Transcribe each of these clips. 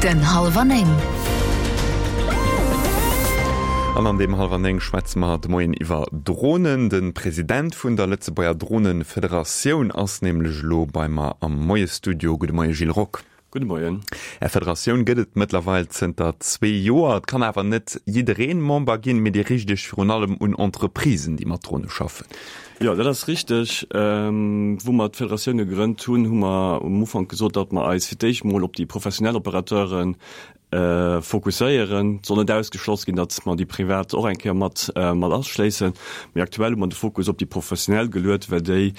Den Hallwer 9. An an deem Hallwer 9 schwätze mer de Moien iwwer Dronen. De President vun der Lëtzebuerger Dronefederatioun ass nämlech elo bei mer am Moiesstudio. Gudde Moie Gilles Rock. Gudde Moien. Är Federatioun gëtt et mëttlerweil zënter zwee Joer. Et kann awer net jiddereen Member ginn, mee Dir riicht Iech virun allem un Entreprisen, déi mat Drone schaffen. Jo, dat ass richteg. Wou mer d'Federatioun gegrënnt hunn, hu mer um Ufank gesot, datt mer eis fir d'éischt mol op déi professionell Operateuren fokusséieren. Et soll net ausgeschloss ginn, datt mer déi privat och eng Kéier mat mat aschléissen. Mee aktuell hu mer de Fokus op déi Professionell geluet, well déi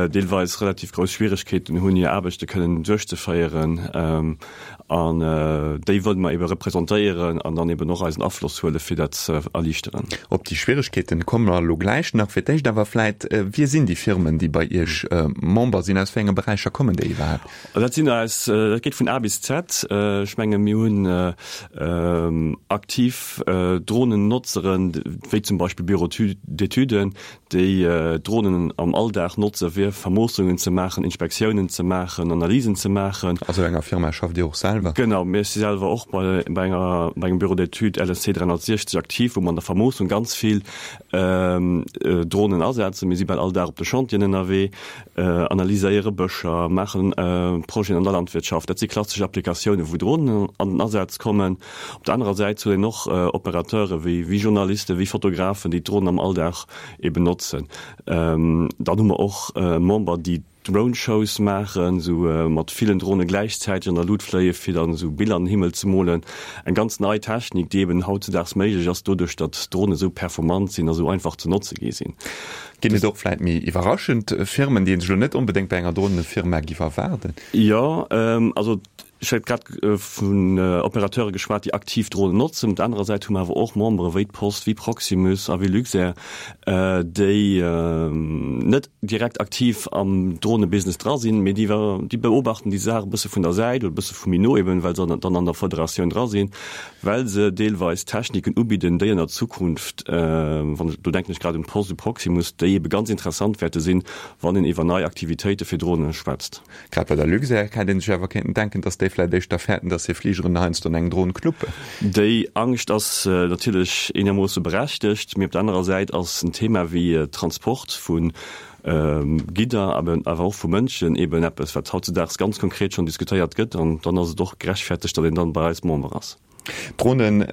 deelweis relativ grouss Schwieregkeeten hunn, hir Aarbechte kënnen duerchzeféieren. An déi wëlle mer ebe representéieren an dann eben och eisen Afloss huele fir dat ze erliichteren. Op déi Schwieregkeeten komme mer elo gläich nach. Fir d'éischt awer vläit, Wie sinn déi Firmen, déi bei Iech Member sinn? Aus wéi enge Beräicher kommen déi iwwerhaapt? Dat sinn eis, dat geet vun A bis Z. Ech menge mir hunn aktiv Dronennotzeren, wéi zum Beispill Bureaux d'études, déi Dronen am Alldag notze fir Vermoossungen ze maachen, Inspektiounen ze maachen, Analysen ze maachen. A sou enger Firma schafft Dir och selwer? Genau, mir si selwer och bei enger, bei engem Bureau d'études LSC 360 aktiv, wou mer an der Vermoossung ganz vill Dronen asetzen. Mir si bal all Dag op de Chantieren ënnerwee. Analyséiere Bëscher, maachen Projeten an der Landwirtschaft. Dat si klassesch Applikatiounen, wou Dronen an den Asaz kommen. Op der anerer Säit huet een och Opérateure wéi Journalisten, wéi Fotografen, déi d'Dronen am Alldag eben notzen. Dann hu mer och Member, déi Drone-Shows maachen, esou mat villen Drone gläichzäiteg an der Lut fléie fir dann esou Biller an den Himmel ze molen. Eng ganz nei Technik, déi eben hautzedaags méiglech ass, doduerch datt d'Dronen esou performant sinn a sou einfach ze notze gi sinn. Ginn et och vläit méi iwwerraschend Firmen, déi een sech elo net onbedéngt bei enger Dronefirma giff erwaarden? Jo, also ech hat grad vun Opérateure geschwat, déi aktiv Dronen notzen. Op der anerer Säit hu mer awer och Membere wéi d'Post, wéi Proximus a wéi Luxair, déi net direkt aktiv am Dronebusiness dra sinn, mee déi déi beobachten déi Saach e bësse vun der Säit oder e bësse vu méi no eben, well se dann an der Federatioun dra sinn. well se deelweis Techniken ubidden, déi an der Zukunft, wann ech, do denken ech grad un d'Post, u Proximus, déi ebe ganz interessant wäerte sinn, wann een iwwer nei Aktivitéite fir Dronen schwätzt. Grad bei der Luxair hätt ee sech awer kéinten denken, datt déi vläicht éischter fäerten, datt hir Fligeren heiansdo an eng Dron knuppen. Déi Angscht ass natierlech eenermoosse berechtegt, mee op der anerer Säit ass en Thema wéi Transport vu Gidder, awer och vu Mënschen eben eppes, wat hautzedaags ganz konkret schonn diskutéiert gëtt. An dann ass et och gerechtfertegt, datt een dann bei eis Member ass. Dronen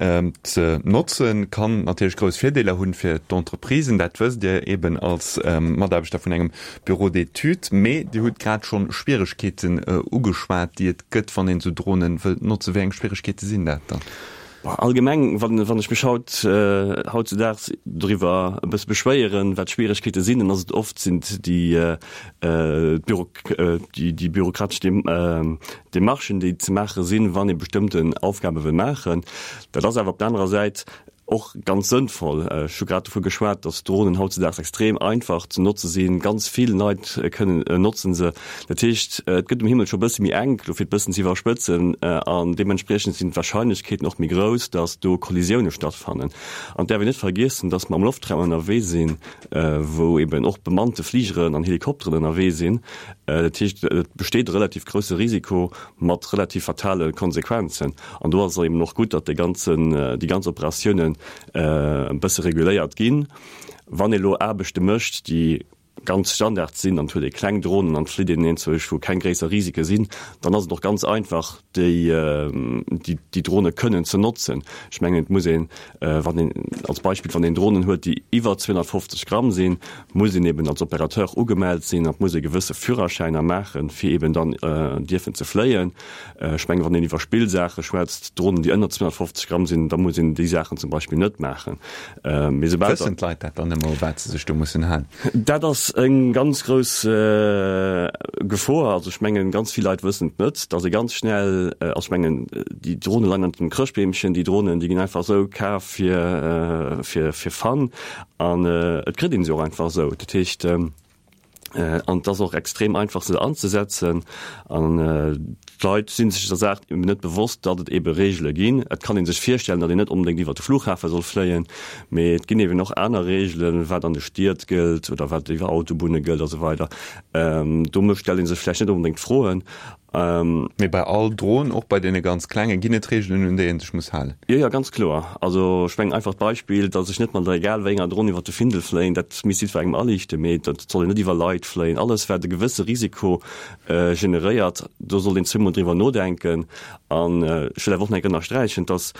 ze notzen, kann natierlech grouss Virdeeler hunn fir d'Entreprisen. Dat wësst Dir eben als Mataarbechter vun engem Bureau d'études. Mee Dir hutt grad schonn Schwieregkeeten ugeschwat, déi et gëtt, wann een esou Dronen wëllt notzen. Wéi eng Schwieregkeete sinn dat dann? Allgemeng, wann ech mech haut, hautzedaags doriwwer e bësse beschwéieren, wat d'Schwieregkeete sinn, dann ass et oft sinn déi déi bürokratesch Demarchen, déi ze maache sinn, wann ee bestëmmten Aufgabe wëll maachen. Dat ass awer op der anerer Säit och ganz sënnvoll. Ech hu grad dovu geschwat, datt Dronen hautzedaags extrem einfach ze notze sinn. Ganz vill Leit kënnen, notzen se. Dat heescht, et gëtt um Himmel scho e bësse méi enk, elo fir et bëssen ze iwwerspëtzen, an deementspriechend sinn d'Warscheinlechkeeten och méi grouss, datt do Kollisioune stattfannen. An et däerf een net vergiessen, datt mer am Loftraum ënnerwee sinn, wou eben och bemannte Fligeren an Helikopteren ënnerwee sinn. Dat heescht, et besteet e relativ grousse Risiko mat relativ fatale Konsequenzen. An do ass et eben och gutt, datt dee ganzen, déi ganz Operatiounen e bësse reguléiert ginn. Wann ee lo Aarbechte mécht, déi ganz Standard sinn an et huet ee kleng Dronen an et flitt een eenzeg, wou keng gréisser Risike sinn, dann ass et och ganz einfach, déi, déi Drone kënnen ze notzen. Ech mengen, et muss een, wann een als Beispill, wann een Dronen huet, déi iwwer 250 Gramm sinn, muss een eben als Opérateur ugemellt sinn an et muss ee gewësse Führerschäiner maachen, fir eben dann dierfen ze fléien. Ech mengen, wann een iwwer Spillsaache schwätzt, Dronen, déi ënner 250 Gramm sinn, da muss een déi Saachen zum Beispill net maachen. Mee soubal. Wëssen d'Leit dat dann ëmmer, u wat se sech do mussen halen? Dat ass eng ganz grouss Gefor. Also ech mengen, ganz vill Leit wëssen et net, datt ee ganz schnell, also ech mengen, déi Drone leien ënnert dem Chrëschtbeemchen, déi Dronen, déi ginn einfach esou kaf fir, fir, fir Fun an et kritt ee se och einfach esou. Dat heescht. An et ass och extrem einfach se anzesetzen. An d'Leit si sech der Saach eben net bewosst, datt et ebe Reegele ginn. Et kann ee sech virstellen, datt een net onbedéngt iwwer de Flughafe soll fléien, mee et ginn eben och aner Reegelen, wat an de Stied gëllt oder wat iwwer Autobunne gëllt a sou weider. Do stellt ee sech vläicht net onbedéngt d'Froen. Mee bei all Dron, och bei deene ganz klenge, ginn et Reegelen, un déi ee sech muss halen? Jo, jo, ganz kloer. Also ech mengen, einfacht Beispill, datt ech net mat der egal wéi enger Dron iwwer de Findel fléien, dat misst jiddwerengem aliichten, mee et soll een net iwwer Leit fléien. Alles, wat e gewësse Risiko generéiert, do sollt een zweemol driwwer nodenken. An ech wëll awer och nach eng Kéier ënnersträichen, datt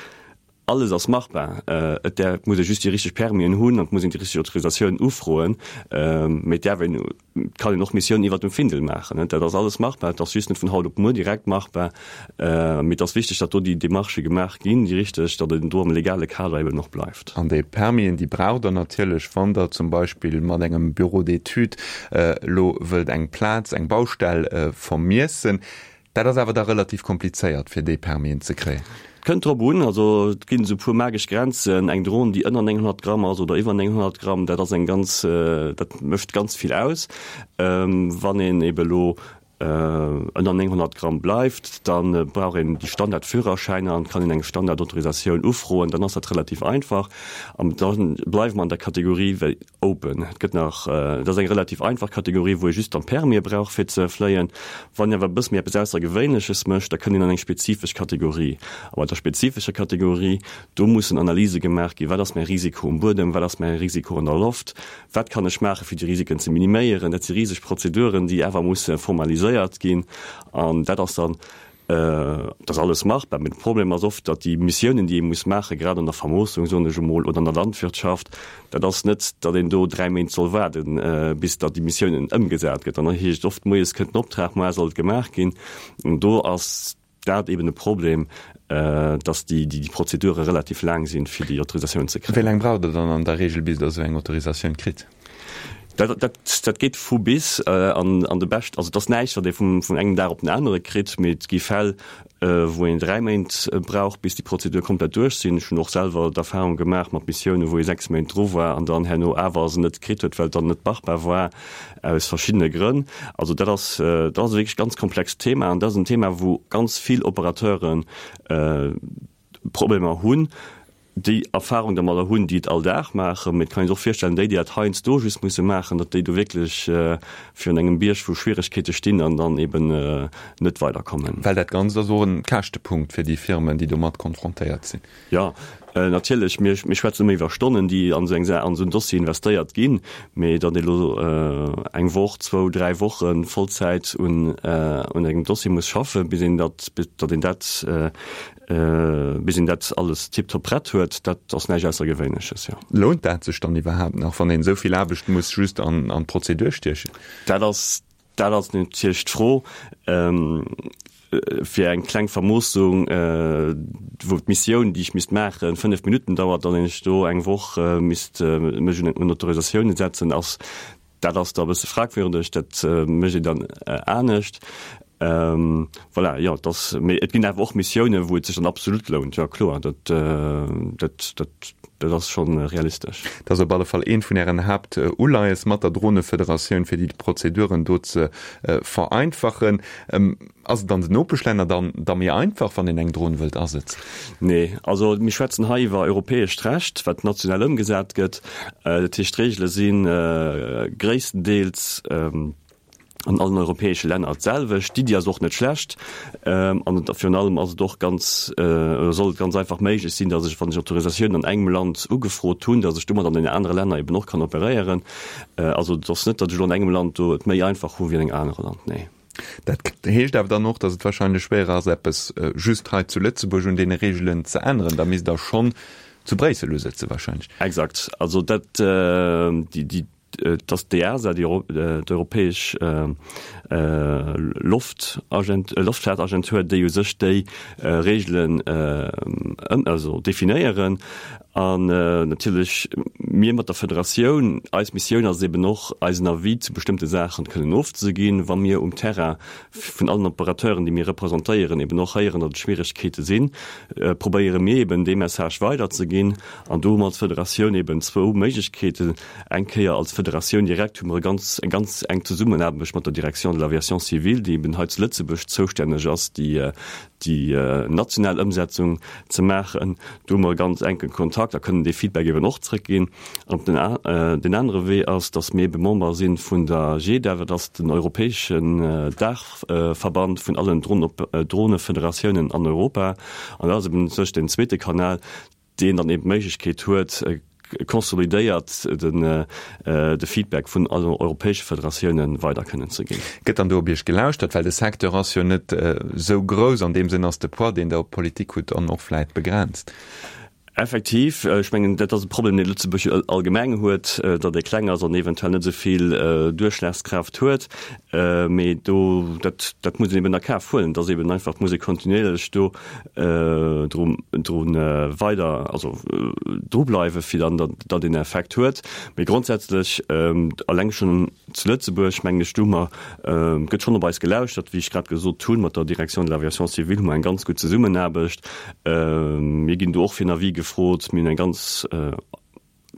Alles ass machbar, et däerf, et muss ee just déi richteg Permisen hunn an et muss een déi richteg Autorisatioun ufroen. Mee et däerf een, et kann een och Missiounen iwwert dem Findel maachen. Dat ass alles machbar, et ass just net vun haut op muer direkt machbar. Mee et ass wichteg, datt do déi Demarchë gemaach ginn, déi richteg, datt een do am legale Kader eben och bleift. An déi Permisen, déi braucht Der natierlech, wann Der zum Beispill mat engem Bureau d'études elo wëllt eng Plaz, eng Baustell vermiessen. Dat ass awer da relativ komplizéiert, fir déi Permisen ze kréien. Kënnt drop un, also et ginn esou puer magesch Grenzen. Eng Dron, déi ënner 900 Gramm ass oder iwwer 900 Gramm, dat ass eng ganz, dat mécht ganz vill aus. Wann een ebe elo ënner 900 Gramm bleift, da brauch een déi Standardführerschäiner an kann een eng Standardautorisatioun ufroen, dann ass dat relativ einfach. An da bleiwe mer an der Kategorie wéi Open. Et gëtt nach, et ass eng relativ einfach Kategorie, wou ee just dann d'Permie brauch fir ze fléien. Wann een awer e bësse méi eppes Aussergewéinleches mécht, da kënnt een an eng spezifesch Kategorie. A bei der spezifescher Kategorie, do mussen Analyse gemaach ginn, wat ass mäi Risiko um Buedem, wat ass mäi Risiko an der Loft, wat kann ech maachen, fir déi Risiken ze miniméieren. Dat si riseg Prozeduren, déi awer musse formaliséiert ginn. An dat ass dann Et ass alles machbar, mee de Problem ass oft, datt déi Missiounen, déi ee muss maachen, grad an der Vermoossung, soen ech emol, oder an der Landwirtschaft, dat ass net, datt een do 3 Méint soll waarden, bis datt déi Missiounen ëmgesat gëtt. An da heescht et oft, moies kënnt den Optrag, moar soll et gemaach ginn. An do ass dat eben e Problem, datt déi Prozedure relativ laang sinn, fir déi Autorisatioun ze kréien. Wéi laang braucht Der dann an der Regel, bis Der esou eng Autorisatioun kritt? Dat, dat, dat geet vu bis an, an de Bescht, also et ass näischt, wat ee vum, vun engem Dag op den anere kritt, mee et gi Fäll, wou een 3 Méint brauch, bis déi Prozedur komplett duerch sinn. Ech hunn och selwer d'Erfahrung gemaach mat Missiounen, wou ee 6 Méint dru war an dann herno awer se net kritt huet, well et dann net machbar war aus verschiddene Grënn. Also dat ass, dat ass e wierklech ganz komplext Thema an dat ass en Thema, wou ganz vill Operateuren Problemer hunn. déi Erfahrung dermadder hunn, déi et all Dag maachen, mee et kann ee sech och virstellen, déi, déi dat heiansdo just musse maachen, datt déi do wierklech virun engem Bierg vu Schwieregkeete stinn an dann eben net weiderkommen. Well dat Ganzt ass och e Käschtepunkt fir déi Firmen, déi domat konfrontéiert sinn. Jo, natierlech. Mir schwätzen ëmmer iwwer Stonnen, déi an esou eng Saach, an esou en Dossier investéiert ginn, mee datt ee elo eng Woch, zwou, dräi Woche Vollzäit un engem Dossier muss schaffen, bis een dat, datt een dat Bis een dat alles tiptop prett huet, dat ass näischt Aussergewéinleches, jo. Lount dat sech dann iwwerhaapt nach, wann een esou vill Aarbecht muss just an d'Prozedur stiechen? Dat ass, dat ass natierlech d'Fro. Fir eng kleng Vermoossung, wou d'Missioun, déi ech misst maachen, 5 Minutten dauert, an ech do eng Woch misst mech un Autorisatiounen setzen, ass Dat ass da e bësse fragwürdeg, dat mécht een dann anescht. Voilà, jo, et ass, mee et ginn awer och Missiounen, wou et sech dann absolut lount, jo kloer, dat, dat, dat, dat ass scho realistesch. Dat ass op alle Fall eent vun Ären Haaptuleies mat der Dronefederatioun, fir déi Prozeduren do ze vereinfachen. Ass et an den Nopeschlänner dann da méi einfach, wann een eng Dron wëllt asetzen? Nee, also mir schwätzen hei iwwer europäescht Recht, wat national ëmgesat gëtt. Dat heescht, d'Reegele si gréisstendeels an allen europäesche Länner d'selwecht. D'Iddi ass och net schlecht an virun allem ass et och ganz, oder soll et ganz einfach méiglech sinn, datt ech, wann ech Autorisatioun an engem Land ugefrot hunn, datt ech domat an deenen anere Länner eben och kann operéieren. Also et ass net, datt ech elo an engem Land do et méi einfach hu wéi an engem anere Land, nee. Dat heescht awer dann och, datt et wahrscheinlech schwéier ass, eppes just hei zu Lëtzebuerg un deene Reegelen ze änneren. Da misst Der schonn zu Bréissel usëtze wahrscheinlech. Exakt. Also dat, déi, déi, et ass d'EASA, déi d'europäesch Loftagent, Loftfaartagentur, déi u sech déi Reegelen ëm, also definéieren. An natierlech mir mat der Federatioun, eis Missioun ass et eben och, eisen Avis zu bestëmmte Saachen kënnen ofzeginn, wa mir um Terrain vun allen Operateuren, déi mir representéieren, eben och héieren, datt et Schwieregkeete sinn, probéiere mir eben dee Message weiderzeginn. An do hu mer als Federatioun eben zwou Méiglechkeeten. Eng Kéier als Federatioun direkt hu mer e ganz, eng ganz enk Zesummenaarbecht mat der Direction de l'aviation civile, déi eben hei zu Lëtzebuerg zoustänneg ass, déi déi national Ëmsetzung ze maachen. Do hu mer e ganz enke Kontakt. Kontakt a kënnen dee Feedback eben och zrëckginn. An op den deen anere Wee ass, datt mir ebe Member si vun der GEDA, dat ass den europäeschen Daachverband vun allen Dronefederatiounen an Europa. An dat ass eben u sech deen zweete Kanal, deen dann eben d'Méiglechkeet huet, consolidéiert de Feedback vun allen europäesche Federatiounen weider kënnen ze ginn. Gëtt dann do op Iech gelauschtert? Well de Secteur ass jo net esou grouss, an deem Sënn ass de Poids, deen Der op d'Politik hutt, dann och vläit begrenzt. Effektiv, ech mengen, dat ass e Problem, dee Lëtzebuerg allgemeng huet, datt ee kleng ass an eventuell net esou vill Duerchschlagskraaft huet. Mee do, dat, dat muss een eben a Kaf huelen, dass eben einfach, et muss ee kontinuierlech do dru, dru weider, also drubleiwen, fir dann, datt, datt een Effekt huet. Mee grondsätzlech, alleng schonn zu Lëtzebuerg, mengen ech, do hu mer, gëtt schonn op eis gelauschtert, wéi ech grad gesot hunn, mat der Direction de l'aviation civile hu mer eng ganz gutt Zesummenaarbecht. Mir ginn do och fir en Avis gefrot. Mir hunn eng ganz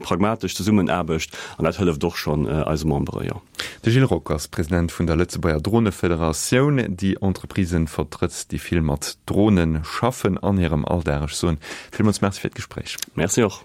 pragmatesch Zesummenaarbecht an dat hëlleft och schonn eise Membere, jo. De Gilles Rock ass President vun der Lëtzebuerger Dronefederatioun, déi Entreprisen vertrëtt, déi vill mat Drone schaffen an hirem Alldag. Ech soen villmools Merci fir d'Gespréich. Merci och.